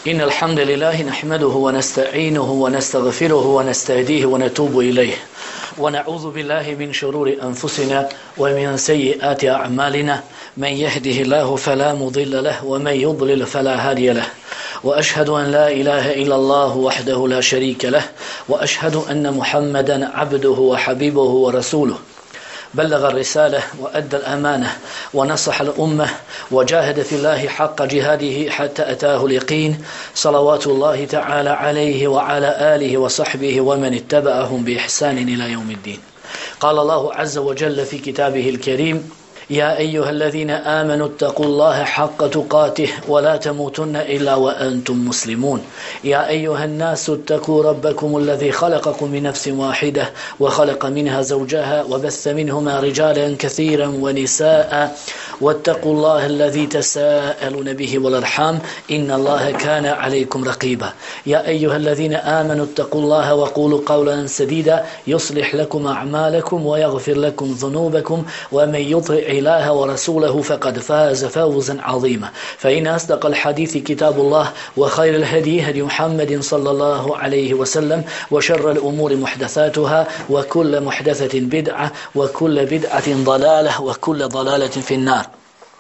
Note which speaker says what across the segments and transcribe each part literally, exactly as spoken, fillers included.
Speaker 1: إن الحمد لله نحمده ونستعينه ونستغفره ونستهديه ونتوب إليه ونعوذ بالله من شرور أنفسنا ومن سيئات أعمالنا من يهده الله فلا مضل له ومن يضلل فلا هادي له وأشهد أن لا إله إلا الله وحده لا شريك له وأشهد أن محمدا عبده وحبيبه ورسوله بلغ الرسالة وأدى الأمانة ونصح الأمة وجاهد في الله حق جهاده حتى أتاه اليقين صلوات الله تعالى عليه وعلى آله وصحبه ومن اتبعهم بإحسان إلى يوم الدين. قال الله عز وجل في كتابه الكريم: يا أيها الذين آمنوا اتقوا الله حق تقاته ولا تموتن إلا وأنتم مسلمون. يا أيها الناس اتقوا ربكم الذي خلقكم من نفس واحدة وخلق منها زوجها وبث منهما رجالا كثيرا ونساء واتقوا الله الذي تساءلون به والأرحام إن الله كان عليكم رقيبا. يا أيها الذين آمنوا اتقوا الله وقولوا قولا سديدا يصلح لكم أعمالكم ويغفر لكم ذنوبكم ومن يطع الله ورسوله فقد فاز فوزا عظيما. فإن أصدق الحديث كتاب الله وخير الهدي هدي محمد صلى الله عليه وسلم وشر الأمور محدثاتها وكل محدثة بدعة وكل بدعة ضلالة وكل ضلالة في النار.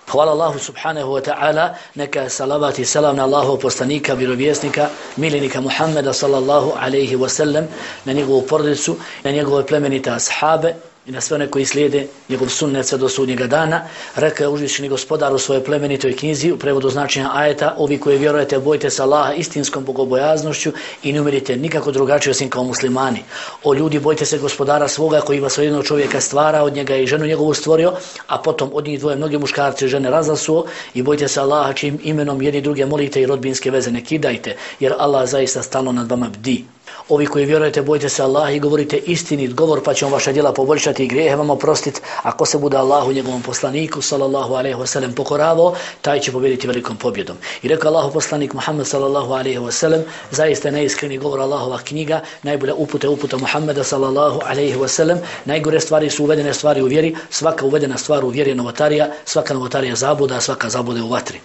Speaker 1: Hvala Allahu subhanahu wa ta'ala, neka salavat i salam na Allahov poslanika, vjerovjesnika, miljenika Muhammeda sallallahu alaihi wa sallam, na njegovu porodicu, na njegove plemenite ashabe i na sve one koji slijede njegov sunnet sve do sudnjega dana. Rekao je uzvišeni gospodar u svojoj plemenitoj knjizi u prevodu značenja ajeta: ovi koji vjerujete, bojte se Allaha istinskom bogobojaznošću i ne umirite nikako drugačije osim kao muslimani. O ljudi, bojte se gospodara svoga koji vas od jednog čovjeka stvara, od njega i ženu njegovu stvorio, a potom od njih dvoje mnoge muškarce i žene razasuo, i bojte se Allaha čijim imenom jedni druge molite i rodbinske veze ne kidajte, jer Allah zaista stalno nad vama bdi. Ovi koji vjerujete, bojte se Allaha i govorite istinit govor, pa će on vaša djela poboljšati i grijehe vam oprostiti. Ako se bude Allahu njegovom poslaniku sallallahu alejhi ve sellem pokoravao, taj će pobijediti velikom pobjedom. I rekao Allahu poslanik Muhammed sallallahu alejhi ve sellem: zaista neiskreni govor Allahova knjiga, najbolja uputa uputa Muhammeda sallallahu alejhi ve sellem. Najgore stvari su uvedene stvari u vjeri, svaka uvedena stvar u vjeri je novotarija, svaka novotarija zabuda, a svaka zabuda je u vatri.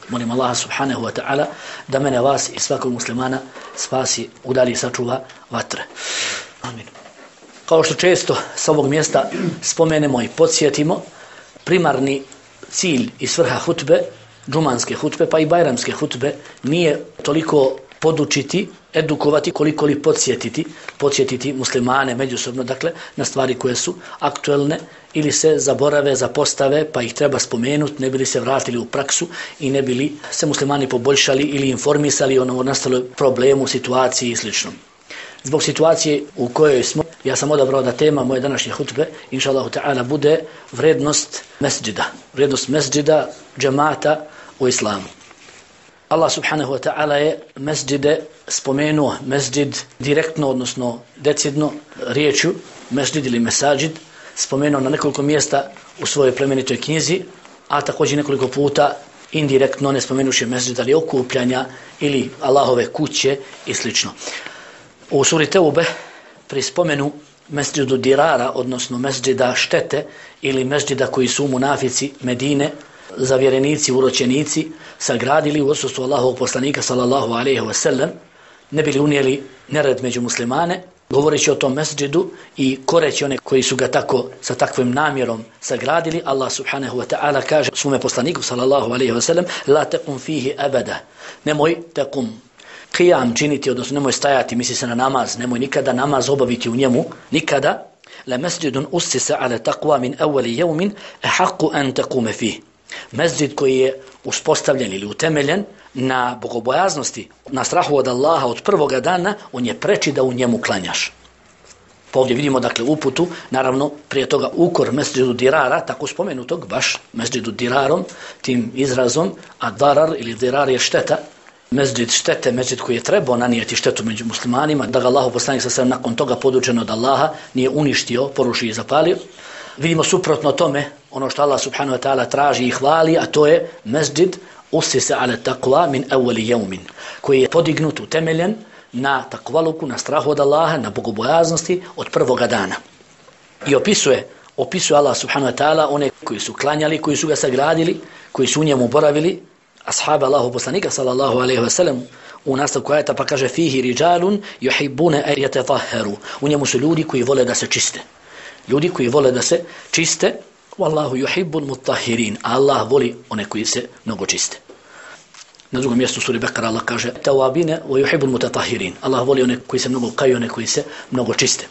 Speaker 1: Molim Allaha subhanahu wa ta'ala da mene, vas i svakog muslimana spasi, udali i sačuva vatre. Amin. Kao što često s ovog mjesta spomenemo i podsjetimo, primarni cilj i svrha hutbe, džumanske hutbe pa i bajramske hutbe, nije toliko podučiti, edukovati, koliko li podsjetiti, podsjetiti muslimane međusobno, dakle, na stvari koje su aktuelne ili se zaborave, zapostave, pa ih treba spomenuti, ne bili se vratili u praksu i ne bili se muslimani poboljšali ili informisali o novonastaloj problemu, situaciji i sl. Zbog situacije u kojoj smo, ja sam odabrao da tema moje današnje hutbe, inša Allahu ta'ala, bude vrednost mesdžida, vrednost mesdžida, džemata u islamu. Allah subhanahu wa ta'ala je mesdžide spomenuo, mesdžid direktno, odnosno decidno riječju, mesdžid ili mesađid, spomenuo na nekoliko mjesta u svojoj plemenitoj knjizi, a također nekoliko puta indirektno, ne spomenuši mesdžid, ali okupljanja ili Allahove kuće i sl. U suri Teube pri spomenu mesdžidu dirara, odnosno mesdžida štete ili mesdžida koji su munafici Medine, zavjerenici, uročenici, sagradili u odsustvu Allahovog poslanika sallallahu alejhi ve sellem, ne bili unijeli nered među muslimane, govoreći o tom mesdžidu i koreći one koji su ga tako sa takvim namjerom sagradili. Allah subhanahu wa ta'ala kaže svome poslaniku sallallahu alejhi ve sellem: la taqum fihi abada, nemoj taqum qiyam činiti, odnosno nemoj stajati, misli se na namaz, nemoj nikada namaz obaviti u njemu, nikada. La masjidun ussisa ala taqwa min awwali yawmin ahaqqu an taquma fihi, mesdžid koji je uspostavljen ili utemeljen na bogobojaznosti, na strahu od Allaha od prvoga dana, on je preči da u njemu klanjaš. Pa ovdje vidimo, dakle, uputu, naravno prije toga ukor mesdžidu dirara, tako spomenutog, baš mesdžidu dirarom, tim izrazom, a darar ili dirar je šteta, mesdžid štete, mesdžid koji je trebao nanijeti štetu među muslimanima, da ga Allahu poslanik sa sve nakon toga podučen od Allaha nije uništio, porušio i zapalio. Vidimo suprotno tome ono što Allah subhanahu wa ta'ala traži i hvali, a to je mesdžid usisa ala taqwa min awwali yawmin, koji je podignut, utemeljen na takvaluku, na strahu od Allaha, na bogobojaznosti od prvoga dana. I opisuje, opisuje Allah subhanahu wa ta'ala one koji su klanjali, koji su ga sagradili, koji su u njemu boravili, ashaba Allahu poslanika sallallahu alejhi ve sellem u nastavku ajeta pa kaže fihi rijalun yuhibbuna an yatatahharu. U njemu su ljudi koji vole da se čiste. Ljudi koji vole da se čiste, wallahu yuhibbul mutahhirin. Allah voli one koji se mnogo čiste. Na drugom mjestu suri Bekara Allah kaže tawabine wa yuhibbul mutatahhirin. Allah voli one koji se mnogo kaju, one koji se mnogo čiste.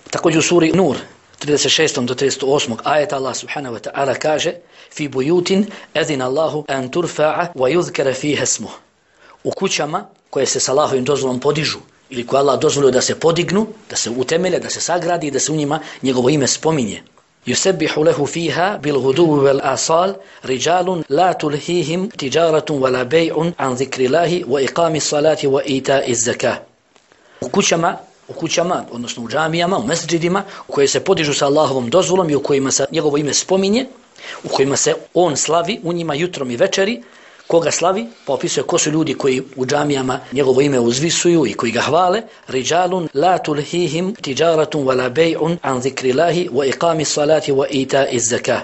Speaker 1: Također u suri Nur trideset šestom do trideset osmog ajeta Allah subhanahu wa ta'ala kaže fi buyutin adina Allahu an turfa'a wa yuzkara fiha ismuhu. U kućama koje se s Allahovim dozvolom podižu ili koje Allah dozvolio da se podignu, da se utemelje, da se sagradi i da se u njima njegovo ime spominje. Yusabbihu lahu fiha bil ghuduwi wal asal rijalun la tulhihim tijaratun wala bay'un an dhikrillahi wa iqamis salati wa ita'iz zakah. U kućama u kućama, odnosno u džamijama, u mesdžidima, u koje se podižu sa Allahovom dozvolom i u kojima se njegovo ime spominje, u kojima se on slavi, u njima jutrom i večeri. Koga slavi? Pa opisuje ko su ljudi koji u džamijama njegovo ime uzvisuju i koji ga hvale. Rijalun la tulhihim tijaratun wala bay'un an zikrillahi wa iqamis salati wa ita'iz zakah.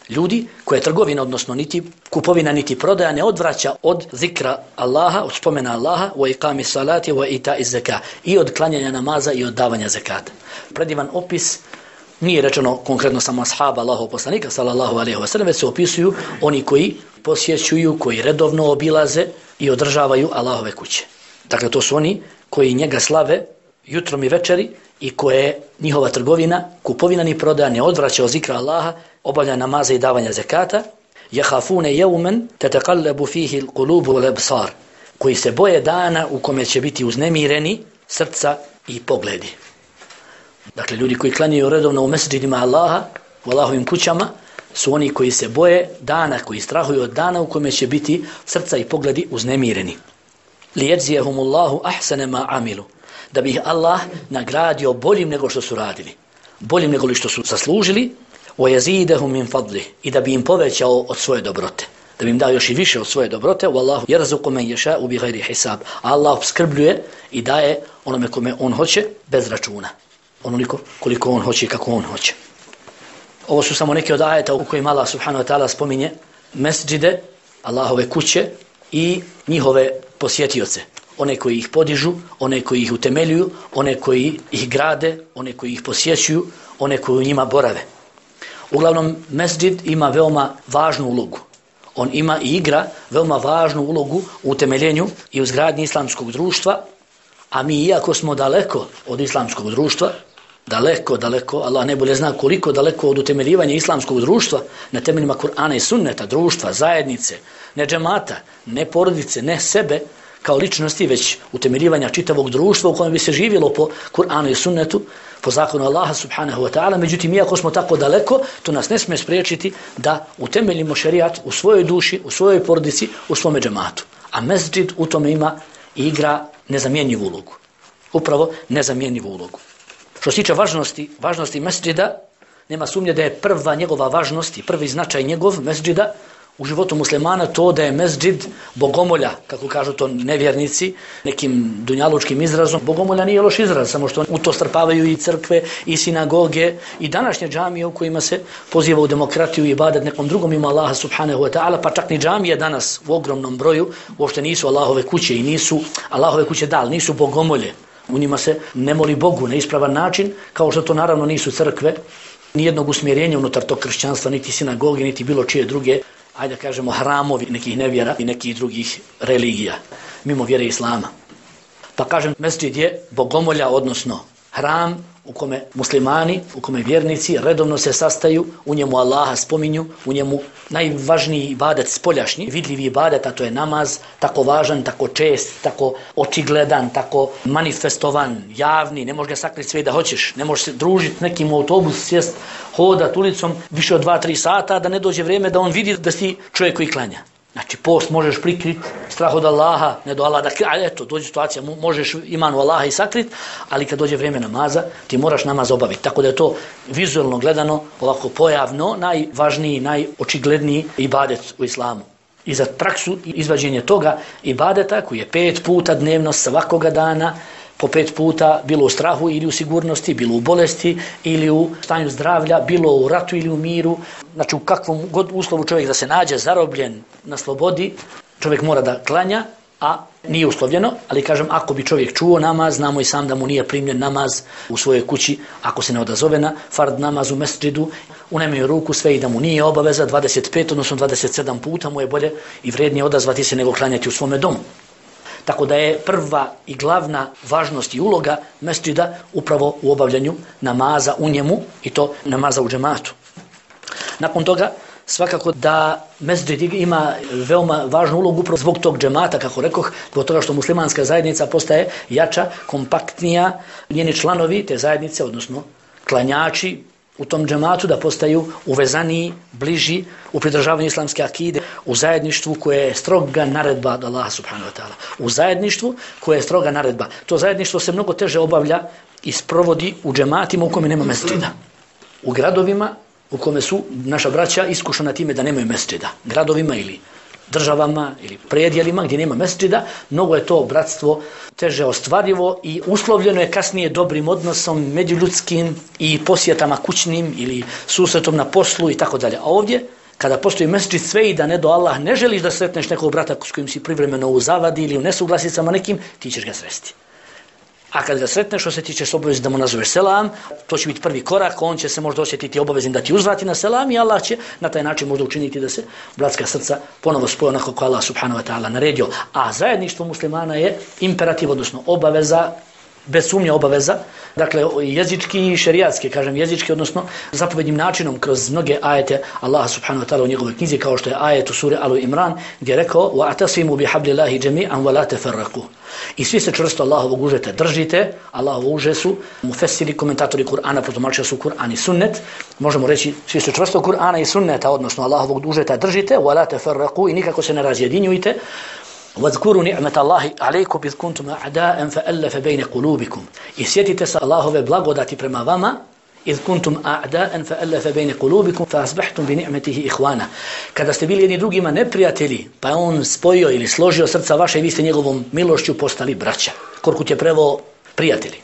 Speaker 1: Ljudi koje trgovina, odnosno niti kupovina niti prodaja ne odvraća od zikra Allaha, od spomena Allaha, wa iqamis salati wa ita'iz zakah, i od klanjanja namaza i od davanja zakata. Predivan opis, nije rečeno konkretno samo ashaba Allahov poslanika sallallahu alejhi ve sellem, već se opisuju oni koji posjećuju, koji redovno obilaze i održavaju Allahove kuće. Dakle, to su oni koji njega slave jutrom i večeri i koje njihova trgovina, kupovina ni prodaja ne odvraća od zikra Allaha, obavlja namaza i davanja zakata. Yakhafuna yawman tataqallabu fihi alqulub wal absar, koji se boje dana u kome će biti uznemireni srca i pogledi. Dakle, ljudi koji klanjaju redovno u mesdžidima Allaha, u Allahovim kućama, su oni koji se boje dana, koji strahuju od dana u kome će biti srca i pogledi uznemireni. Lijedzijehumullahu ahsane ma amilu, da bi ih Allah nagradio boljim nego što su radili, boljim nego što su zaslužili, وَيَزِيدَهُمْ مِنْ فَضْلِهِ, i da bi im povećao od svoje dobrote, da bi im dao još i više od svoje dobrote. Wallahu yarzuqu man yasha'u bighayri hisab. Allah opskrbljuje i daje onome kome on hoće bez računa, onoliko koliko on hoće i kako on hoće. Ovo su samo neke od ajeta u kojima Allah subhanahu wa ta'ala spominje mesdžide, Allahove kuće i njihove posjetioce. One koji ih podižu, one koji ih utemeljuju, one koji ih grade, one koji ih posjećuju, one koji u njima borave. Uglavnom, mesdžid ima veoma važnu ulogu. On ima i igra veoma važnu ulogu u utemeljenju i u izgradnji islamskog društva, a mi, iako smo daleko od islamskog društva, daleko, daleko, Allah najbolje zna koliko daleko od utemeljivanja islamskog društva na temeljima Kur'ana i sunneta, društva, zajednice, ne džemata, ne porodice, ne sebe kao ličnosti, već utemeljivanja čitavog društva u kojem bi se živjelo po Kur'anu i sunnetu, po zakonu Allaha subhanahu wa ta'ala. Međutim, iako smo tako daleko, to nas ne smije spriječiti da utemeljimo šerijat u svojoj duši, u svojoj porodici, u svome džematu. A mesdžid u tome ima i igra nezamjenjivu ulogu. Upravo nezamjenjivu ulogu. Što se tiče važnosti, važnosti mesdžida, nema sumnje da je prva njegova važnost i prvi značaj njegov mesdžida u životu muslimana to da je mesdžid bogomolja, kako kažu to nevjernici, nekim dunjalučkim izrazom. Bogomolja nije loš izraz, samo što u to strpavaju i crkve, i sinagoge, i današnje džamije u kojima se poziva u demokratiju i ibadet nekom drugom ima Allaha subhanahu wa ta'ala, pa čak ni džamije danas u ogromnom broju uopšte nisu Allahove kuće i nisu Allahove kuće dal, nisu bogomolje. U njima se ne moli Bogu na ispravan način, kao što to naravno nisu crkve, nijednog usmjerenja unutar tog kršćanstva, niti sinagoge, niti bilo čije druge, ajde kažemo, hramovi nekih nevjera i nekih drugih religija, mimo vjere islama. Pa kažem, mesdžid je bogomolja, odnosno hram u kome muslimani, u kome vjernici redovno se sastaju, u njemu Allaha spominju, u njemu najvažniji ibadet spoljašnji, vidljivi ibadet, a to je namaz, tako važan, tako čest, tako očigledan, tako manifestovan, javni, ne možeš ga sakriti sve da hoćeš, ne možeš se družiti nekim u autobus, sjest, hodat ulicom više od dva tri sata, da ne dođe vrijeme da on vidi da si čovjek koji klanja. Znači, post možeš prikriti, strah od Allaha, ne do Allaha, da, ali eto, dođe situacija, možeš imanu Allaha i sakrit, ali kad dođe vrijeme namaza, ti moraš namaz obaviti. Tako da je to vizualno gledano, ovako pojavno, najvažniji, najočigledniji ibadet u islamu. I za praksu i izvađenje toga ibadeta, koji je pet puta dnevno svakoga dana, po pet puta, bilo u strahu ili u sigurnosti, bilo u bolesti ili u stanju zdravlja, bilo u ratu ili u miru, znači u kakvom god uslovu čovjek da se nađe zarobljen na slobodi, čovjek mora da klanja, a nije uslovljeno, ali kažem, ako bi čovjek čuo namaz, znamo i sam da mu nije primljen namaz u svojoj kući, ako se ne odazove na fard namaz u mesdžidu, unajmio ruku sve i da mu nije obaveza, dvadeset pet, odnosno dvadeset sedam puta mu je bolje i vrijednije odazvati se nego klanjati u svome domu. Tako da je prva i glavna važnost i uloga mesdžida upravo u obavljanju namaza u njemu i to namaza u džematu. Nakon toga, svakako da mesdžid ima veoma važnu ulogu upravo zbog tog džemata, kako rekoh, zbog toga što muslimanska zajednica postaje jača, kompaktnija, njeni članovi te zajednice, odnosno klanjači u tom džematu da postaju uvezaniji, bliži u pridržavanju islamske akide, u zajedništvu koje je stroga naredba od Allaha subhanahu wa ta'ala. U zajedništvu koje je stroga naredba. To zajedništvo se mnogo teže obavlja i sprovodi u džematima u kome nema mesdžida. U gradovima u kome su naša braća iskušana time da nemaju mesdžida. Gradovima ili državama ili predjelima gdje nema mesdžida, mnogo je to bratstvo teže ostvarivo i uslovljeno je kasnije dobrim odnosom međuljudskim i posjetama kućnim ili susretom na poslu i tako dalje. A ovdje, kada postoji mesdžid, sve i da ne do Allah ne želiš da sretneš nekog brata s kojim si privremeno u zavadi ili u nesuglasicama nekim, ti ćeš ga sresti. A kad ga sretneš, osjetit ćeš obavezno da mu nazoveš selam, to će biti prvi korak, on će se možda osjetiti obaveznim da ti uzvrati na selam i Allah će na taj način možda učiniti da se bratska srca ponovo spoje onako kako Allah subhanahu wa ta'ala naredio. A zajedništvo muslimana je imperativ, odnosno obaveza, bez sumnje obaveza, dakle jezički i šerijatski, kažem jezički, odnosno zapovednim načinom kroz mnoge ajete Allaha subhanahu wa ta'ala u njegovoj knjizi, kao što je ajet u suri Al Imran gdje je rekao وَاعْتَصِمُوا بِحَبْلِ اللَّهِ جَمِيعًا وَلَا تَفَرَّقُوا. I svi se čvrsto Allahovog užeta držite. Allahovo uže su mufesiri, komentatori Kur'ana, protumačili su Kur'an i sunnet. Možemo reći svi se čvrsto Kur'ana i sunneta, odnosno Allahovog užeta držite, وَلَا تَفَرَّقُوا, i nikako se ne razjedinjujte. وَذْكُرُوا نِعْمَةَ اللَّهِ عَلَيْكُمْ إِذْ كُنْتُمْ أَعْدَاءً فَأَلَّفَ بَيْنَ قُلُوبِكُمْ. I sjetite se Allahove blagodati prema vama, إِذْ كُنْتُمْ أَعْدَاءً فَأَلَّفَ بَيْنَ قُلُوبِكُمْ فَأَصْبَحْتُمْ بِنِعْمَتِهِ إِخْوَانًا. Kada ste bili jedni drugima neprijatelji, pa je on spojio ili složio srca vaše i vi ste njegovom milošću postali braća. Korkut je preveo prijatelji.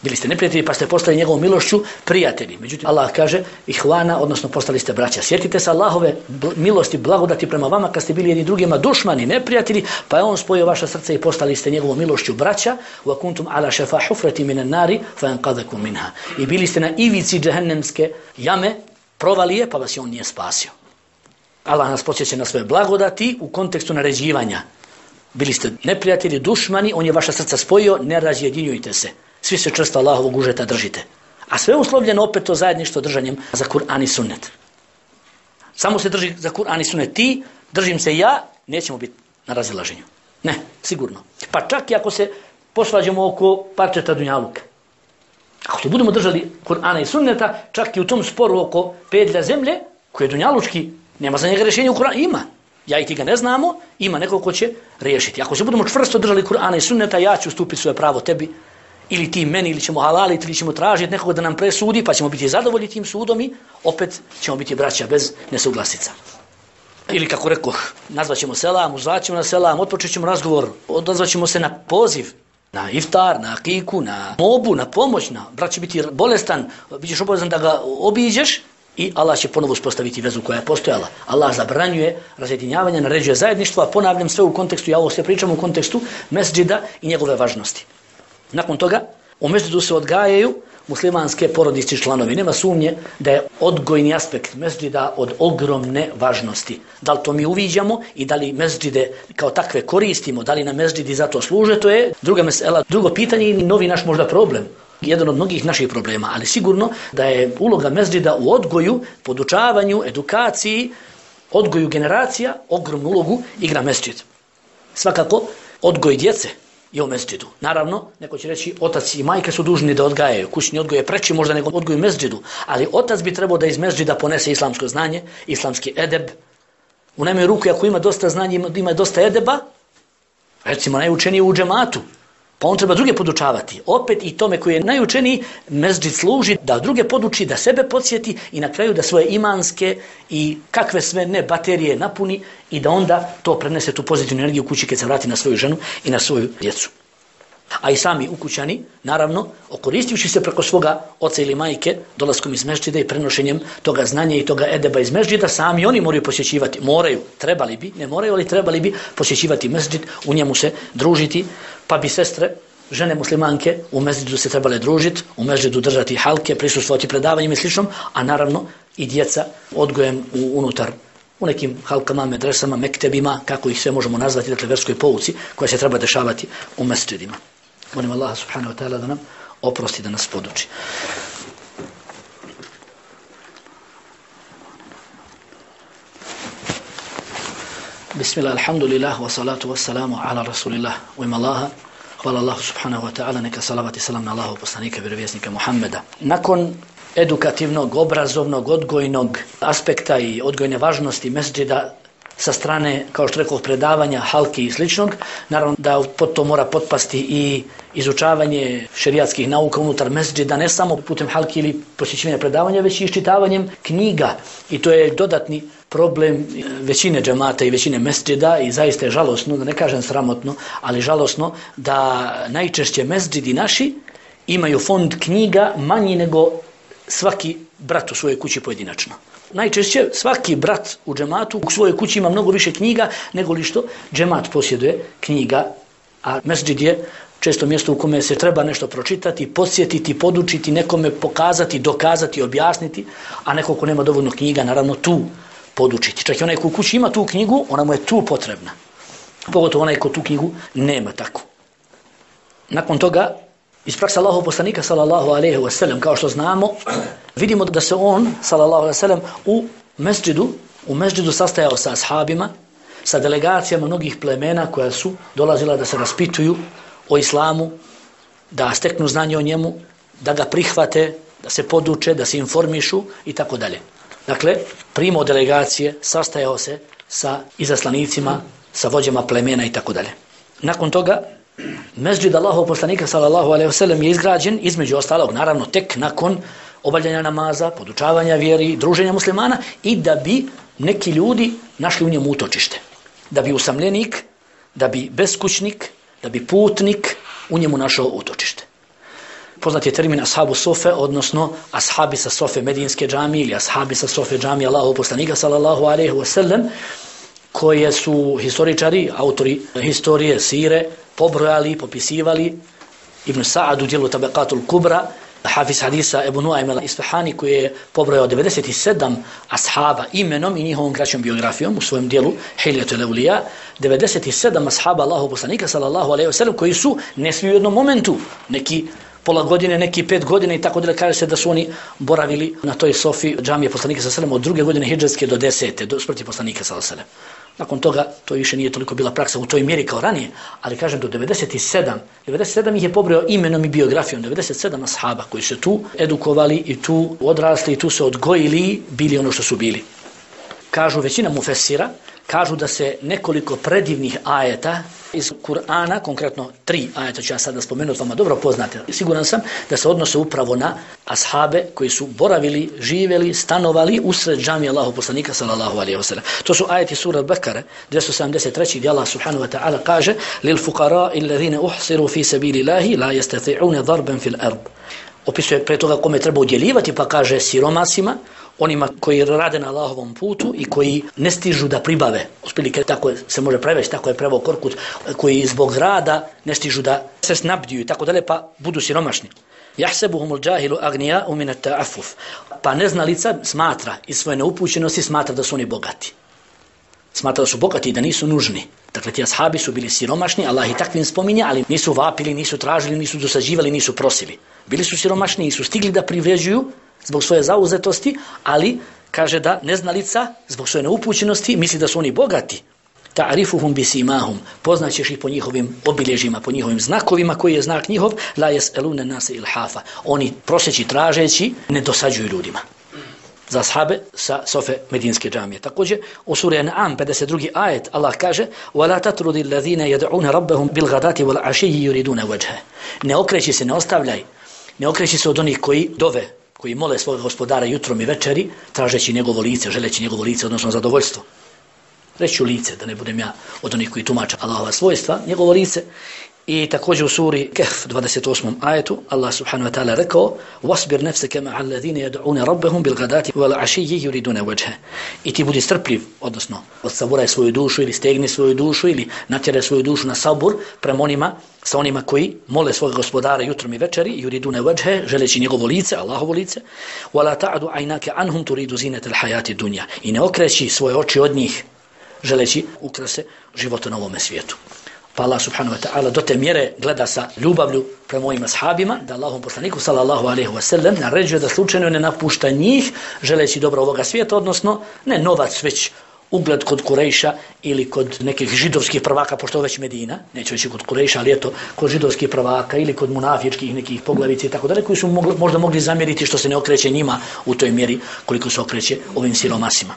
Speaker 1: Bili ste neprijatelji pa ste postali njegovom milošću prijatelji. Međutim, Allah kaže ihvana, odnosno postali ste braća. Sjetite se Allahove milosti, blagodati prema vama kad ste bili jedni drugima dušmani, neprijatelji, pa je on spojio vaša srca i postali ste njegovom milošću braća. Wa kuntum ala shafa hufrati minan nari fa anqadhakum minha. I bili ste na ivici džehennemske jame, provalije, pa vas je on nije spasio. Allah nas podsjeća na svoje blagodati u kontekstu naređivanja. Bili ste neprijatelji, dušmani, on je vaša srca spojio, ne razjedinjujte se. Svi se čvrsto Allahovog užeta držite. A sve uslovljeno opet to zajedništvo držanjem za Kur'an i sunnet. Samo se drži za Kur'an i sunnet. Ti, držim se ja, nećemo biti na razilaženju. Ne, sigurno. Pa čak i ako se posvađamo oko parčeta dunjaluka. Ako se budemo držali Kur'ana i sunneta, čak i u tom sporu oko pedlja zemlje, koji je dunjalučki, nema za njega rješenja u Kur'anu, ima. Ja i ti ga ne znamo, ima neko ko će riješiti. Ako se budemo čvrsto držali Kur'ana i sunneta, ja ću ustupiti svoje pravo tebi, ili ti meni, ili ćemo halaliti, ili ćemo tražiti nekoga da nam presudi, pa ćemo biti zadovoljni tim sudom i opet ćemo biti braća bez nesuglasica. Ili kako rekoh, nazvaćemo selam, uzvaćemo na selam, otpočet ćemo razgovor, odazvaćemo se na poziv, na iftar, na akiku, na mobu, na pomoć, na brat će biti bolestan, bit ćeš obavezan da ga obiđeš i Allah će ponovo uspostaviti vezu koja je postojala. Allah zabranjuje razjedinjavanje, naređuje zajedništvo, a ponavljam sve u kontekstu, ja ovo sve pričam u kontekstu mesdžida i njegove važnosti. Nakon toga, u mesdžidu se odgajaju muslimanske porodični članovi. Nema sumnje da je odgojni aspekt mesdžida od ogromne važnosti. Da li to mi uviđamo i da li mesdžide kao takve koristimo, da li nam mesdžidi za to služe, to je druga mesela, drugo pitanje i novi naš možda problem. Jedan od mnogih naših problema, ali sigurno da je uloga mesdžida u odgoju, podučavanju, edukaciji, odgoju generacija, ogromnu ulogu igra mesdžid. Svakako, odgoj djece je u mesdžidu. Naravno, neko će reći, otac i majke su dužni da odgajaju. Kućni odgoj je preći možda nego odgoj u mesdžidu, ali otac bi trebao da iz mesdžida ponese islamsko znanje, islamski edeb. U najmanju ruku, ako ima dosta znanja, ima, ima dosta edeba, recimo najučeniji u džematu, pa on treba druge podučavati. Opet i tome koji je najučeniji, mesdžid služi da druge poduči, da sebe podsjeti i na kraju da svoje imanske i kakve sve ne baterije napuni i da onda to prenese tu pozitivnu energiju kući kad se vrati na svoju ženu i na svoju djecu. A i sami ukućani, naravno, okoristivši se preko svoga oca ili majke, dolaskom iz mešđida i prenošenjem toga znanja i toga edeba iz mešđida, sami oni moraju posjećivati, moraju, trebali bi, ne moraju, ali trebali bi posjećivati mešđid, u njemu se družiti, pa bi sestre, žene muslimanke u mezđidu se trebale družiti, u mezđidu držati halke, prisustvovati predavanjima i sličnom, a naravno i djeca odgojem u, unutar, u nekim halkama, medresama, mektebima, kako ih sve možemo nazvati, dakle verskoj pouci koja se treba dešavati u mezđidima. Molim Allaha subhanahu wa ta'ala da nam oprosti, da nas poduči. Bismillah, alhamdulillah, wa salatu wa salamu ala rasulillah, u ime Allaha. Hvala Allahu subhanahu wa ta'ala, neka salavat i salam na Allahu poslanika, vjerovjesnika Muhammeda. Nakon edukativnog, obrazovnog, odgojnog aspekta i odgojne važnosti mesdžida sa strane, kao što rekao, predavanja, halki i sličnog, naravno da pod to mora potpasti i izučavanje šerijatskih nauka unutar mesdžida, ne samo putem halki ili posjećivanja predavanja, već i iščitavanjem knjiga. I to je dodatni problem većine džemata i većine mesdžida i zaista je žalosno, da ne kažem sramotno, ali žalosno da najčešće mesdžidi naši imaju fond knjiga manji nego svaki brat u svojoj kući pojedinačno. Najčešće svaki brat u džematu u svojoj kući ima mnogo više knjiga nego li što džemat posjeduje knjiga, a mesdžid je često mjesto u kome se treba nešto pročitati, podsjetiti, podučiti, nekome pokazati, dokazati, objasniti, a neko ko nema dovoljno knjiga, naravno tu podučiti. Čak i onaj ko u kući ima tu knjigu, ona mu je tu potrebna. Pogotovo onaj ko tu knjigu nema takvu. Nakon toga, iz prakse Allahov poslanika sallallahu alejhi ve sellem, kao što znamo, vidimo da se on sallallahu alejhi ve sellem u mesdžidu, u mesdžidu sastajao sa ashabima, sa delegacijama mnogih plemena koja su dolazila da se raspituju o islamu, da steknu znanje o njemu, da ga prihvate, da se poduče, da se informišu i tako dalje. Dakle, primao delegacije, sastajao se sa izaslanicima, sa vođama plemena i tako dalje. Nakon toga, mesdžid Allahov poslanika sallallahu alejhi ve sellem je izgrađen, između ostalog, naravno, tek nakon obavljanja namaza, podučavanja vjeri, druženja muslimana i da bi neki ljudi našli u njemu utočište. Da bi usamljenik, da bi beskućnik, da bi putnik u njemu našao utočište. Poznat je termin ashabu sofe, odnosno ashabi sa sofe Medinske džamije ili ashabi sa sofe džamije Allahov poslanika sallallahu alejhi ve sellem, koje su historičari, autori historije, sire, pobrojali, popisivali. Ibn Sa'ad u dijelu Tabaqatul Kubra, hafiz hadisa Ebu Nuaym al-Isfahani, koji je pobrojao devedeset sedam ashaba imenom i njihovom kraćom biografijom u svojem dijelu Hiljatul Awliya, devedeset sedam ashaba Allahov poslanika sallallahu alejhi ve sellem, koji su ne svi u jednom momentu, neki pola godine, neki pet godine i tako dalje, kaže se da su oni boravili na toj sofi džamije poslanika sallallahu alejhi ve sellem od druge godine hidžretske do desete, do smrti poslanika sallallahu alejhi ve sellem. Nakon toga to više nije toliko bila praksa u toj mjeri kao ranije, ali kažem do devedeset sedam, devedeset sedam ih je pobrojao imenom i biografijom, devedeset sedam ashaba koji se tu edukovali i tu odrasli i tu se odgojili, bili ono što su bili. Kažu većina mufesira, kažu da se nekoliko predivnih ajeta iz Kur'ana, konkretno tri ajeta ću ja sada spomenuti, vama dobro poznate. Siguran sam da se odnose upravo na ashabe koji su boravili, živjeli, stanovali usred džamije Allahov poslanika sallallahu alejhi ve sellem. To su ajeti sura Bekare dvjesto sedamdeset tri gdje Allah subhanahu wa ta'ala kaže: "Lil fuqara'i alladhina uhsiru fi sabilillahi la yastati'una darban fil ard." Opisuje pre toga kome treba udjeljivati, pa kaže siromasima, onima koji rade na Allahovom putu i koji ne stižu da pribave, otprilike tako se može prevesti, tako je preveo Korkut, koji zbog rada ne stižu da se snabdiju i tako dalje, pa budu siromašni. Jahsebuhumul džahilu agnija'u min at-ta'affuf. Pa neznalica smatra iz svoje neupućenosti smatra da su oni bogati. Smatra da su bogati i da nisu nužni. Dakle, ti ashabi su bili siromašni, Allah i takvim spominje, ali nisu vapili, nisu tražili, nisu dosađivali, nisu prosili. Bili su siromašni i su stigli da privređuju zbog svoje zauzetosti, ali kaže da neznalica zbog svoje neupućenosti misli da su oni bogati. Ta'rifuhum bisimahum, poznaćeš ih po njihovim obilježjima, po njihovim znakovima, koji je znak njihov, la yas'aluna nase ilhafa. Oni proseći, tražeći, ne dosađuju ljudima. Za ashabe sa sofe Medinske džamije. Također u suri An'am pedeset drugi ajet Allah kaže: "Wala tatrudi alladhina yad'una rabbahum bil ghadati wal 'ashiyyi yuriduna wajha." Ne okreći se, ne ostavljaj. Ne okreći se od onih koji dove, koji mole svog gospodara jutrom i večeri, tražeći njegovo lice, želeći njegovo lice, odnosno zadovoljstvo. Reću lice, da ne budem ja od onih koji tumače Allahova svojstva, njegovo lice. I također u suri Kehf dvadeset osmom ajetu Allah subhanahu wa ta'ala rekao وَاصْبِرْ نَفْسَكَ مَعَ الَّذِينَ يَدْعُونَ رَبَّهُمْ بِالْغَدَاتِ وَالْعَشِيِّ يُرِيدُونَ وَجْهَهُ. I ti budi strpljiv, odnosno odsaburaj svoju dušu ili stegni svoju dušu ili natjeraj svoju dušu na sabur prema onima, sa onima koji mole svog gospodara jutrom i večeri, yuridune vajhe, želeći njegovo lice, Allahovo lice, wala ta'du aynaka anhum turidu zinata al-hayati dunya. I ne okreći svoje oči od njih, želeći ukrase života na ovome svijetu. Pa Allah subhanahu wa ta'ala do te mjere gleda sa ljubavlju prema mojim ashabima, da Allahom poslaniku sallallahu alaihi wa sallam naređuje da slučajno ne napušta njih, želeći dobro ovoga svijeta, odnosno ne novac, već ugled kod Kurejša ili kod nekih židovskih prvaka, pošto je već Medina, neću reći kod Kurejša, ali eto, kod židovskih prvaka ili kod munafičkih nekih poglavica i tako dalje, koji su mogli, možda mogli zamjeriti što se ne okreće njima u toj mjeri koliko se okreće ovim siromasima.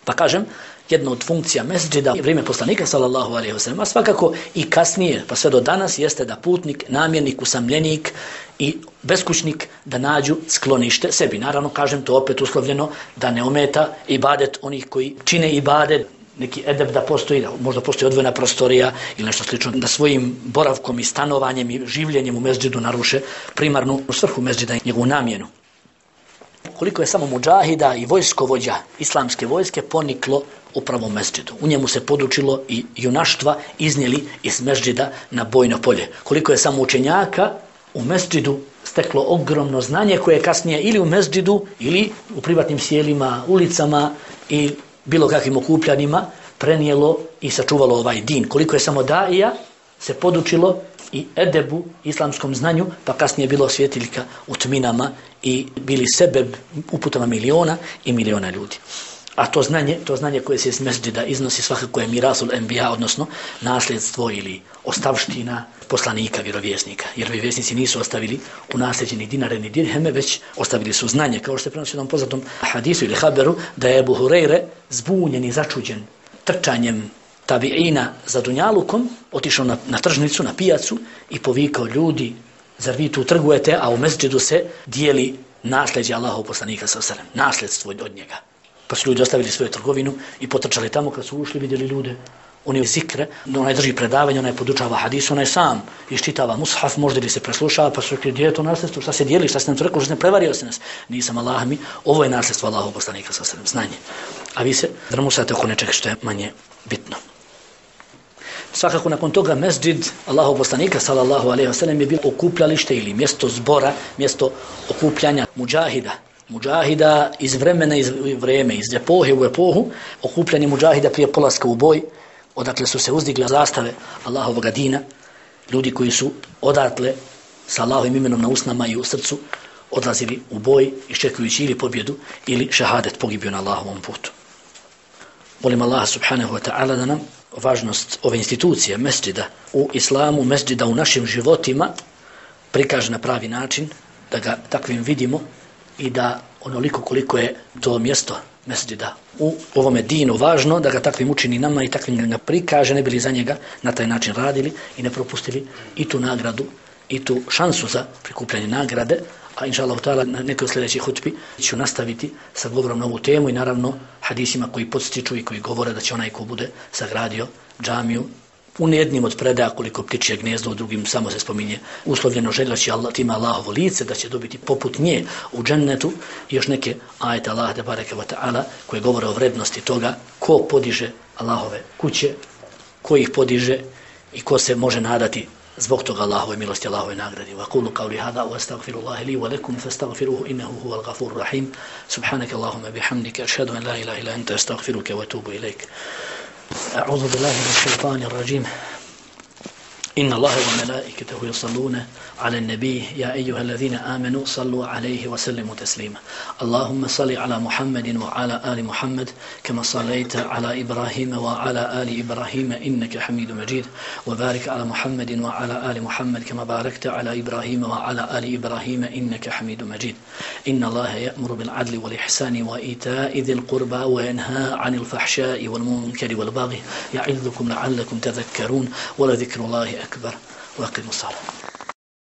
Speaker 1: Pa kažem, jedna od funkcija mesdžida u vrijeme poslanika sallallahu alejhi ve sellem, a svakako i kasnije, pa sve do danas, jeste da putnik, namjernik, usamljenik i beskućnik da nađu sklonište sebi. Naravno, kažem to opet uslovljeno da ne ometa ibadet onih koji čine ibadet, neki edeb da postoji, da možda postoji odvojena prostorija ili nešto slično, da svojim boravkom i stanovanjem i življenjem u mesdžidu naruše primarnu svrhu mesdžida i njegovu namjenu. Koliko je samo mudžahida i vojskovođa islamske vojske poniklo upravo u mesdžidu. U njemu se podučilo i junaštva iznijeli iz mesdžida na bojno polje. Koliko je samo učenjaka u mesdžidu steklo ogromno znanje koje je kasnije ili u mesdžidu ili u privatnim sjelima, ulicama i bilo kakvim okupljanjima prenijelo i sačuvalo ovaj din. Koliko je samo daija se podučilo i edebu, islamskom znanju, pa kasnije bilo svjetiljka u tminama i bili sebe uputama miliona i miliona ljudi. A to znanje, to znanje koje se iz mesdžida iznosi svakako je mirasul enbija, odnosno nasljedstvo ili ostavština poslanika, vjerovjesnika. Jer vjerovjesnici nisu ostavili u nasljeđe ni dinare ni dirheme, već ostavili su znanje. Kao što se prenosi u jednom poznatom hadisu ili haberu, da je Ebu Hureyre zbunjen i začuđen trčanjem tabiina za dunjalukom, otišao na, na tržnicu, na pijacu i povikao: ljudi, zar vi tu trgujete, a u mesdžidu se dijeli nasljeđe Allahov poslanika sallallahu alejhi ve sellem, nasljedstvo od njega. Pa su ljudi ostavili svoju trgovinu i potrčali tamo. Kad su ušli, vidjeli ljude, oni zikre, onaj drži predavanje, onaj podučava hadis, onaj sam iščitava mushaf, možda li se preslušava, pa su rekli: gdje je to nasljedstvo, šta se dijeli, šta se nam to rekao, šta se ne prevario se nas. Nisam, Allah mi, ovo je nasljedstvo Allahov poslanika sallallahu alejhi ve sellem, znanje. A vi se drmusate oko nečega što je manje bitno. Svakako nakon toga mesdžid Allahov poslanika sallallahu alejhi ve sellem je bilo okupljalište ili mjesto zbora, mjesto okupljanja mudžahida. Mudžahida iz vremena iz vreme, iz epohe u epohu, okupljanje mudžahida prije polaska u boj, odakle su se uzdigle zastave Allahovog dina, ljudi koji su odatle sa Allahovim imenom na usnama i u srcu odlazili u boj, iščekujući ili pobjedu ili šehadet, pogibio na Allahovom putu. Molim Allah subhanahu wa ta'ala da nam važnost ove institucije, mesdžida u islamu, mesdžida u našim životima prikaže na pravi način, da ga takvim vidimo i da onoliko koliko je to mjesto mesdžida u ovome dinu važno, da ga takvim učini nama i takvim ga prikaže, ne bili za njega na taj način radili i ne propustili i tu nagradu i tu šansu za prikupljanje nagrade. A inša Allah ta'ala na nekoj sljedećoj hutbi ću nastaviti sa govorom na ovu temu i naravno hadisima koji podstiču i koji govore da će onaj ko bude sagradio džamiju u jednim od predaja koliko ptičje gnezdo, u drugim samo se spominje uslovljeno željaći Allah, tima Allahovo lice, da će dobiti poput nje u džennetu i još neke ajete Allah te bareke ve ta'ala koje govore o vrednosti toga ko podiže Allahove kuće, ko ih podiže i ko se može nadati zbog toga Allahove milosti, Allahove nagradi. Wa qulu qawli hada wa astaghfirullaha li wa lakum fastaghfiruhu innahu huwal ghafurur rahim. Subhanaka Allahumma bihamdika ashhadu an la ilaha illa anta astaghfiruka wa atubu ilayk. A'udhu billahi minash shaitanir rajim. إن الله وملائكته يصلون على النبي يا أيها الذين آمنوا صلوا عليه وسلموا تسليما اللهم صل على محمد وعلى آل محمد كما صليت على إبراهيم وعلى آل إبراهيم إنك حميد مجيد وبارك على محمد وعلى آل محمد كما باركت على إبراهيم وعلى آل إبراهيم إنك حميد مجيد إن الله يأمر بالعدل والإحسان وإيتاء ذي القربى وينهى عن الفحشاء والمنكر والبغي يعظكم لعلكم تذكرون ولذكر الله أكبر وأقيموا الصلاة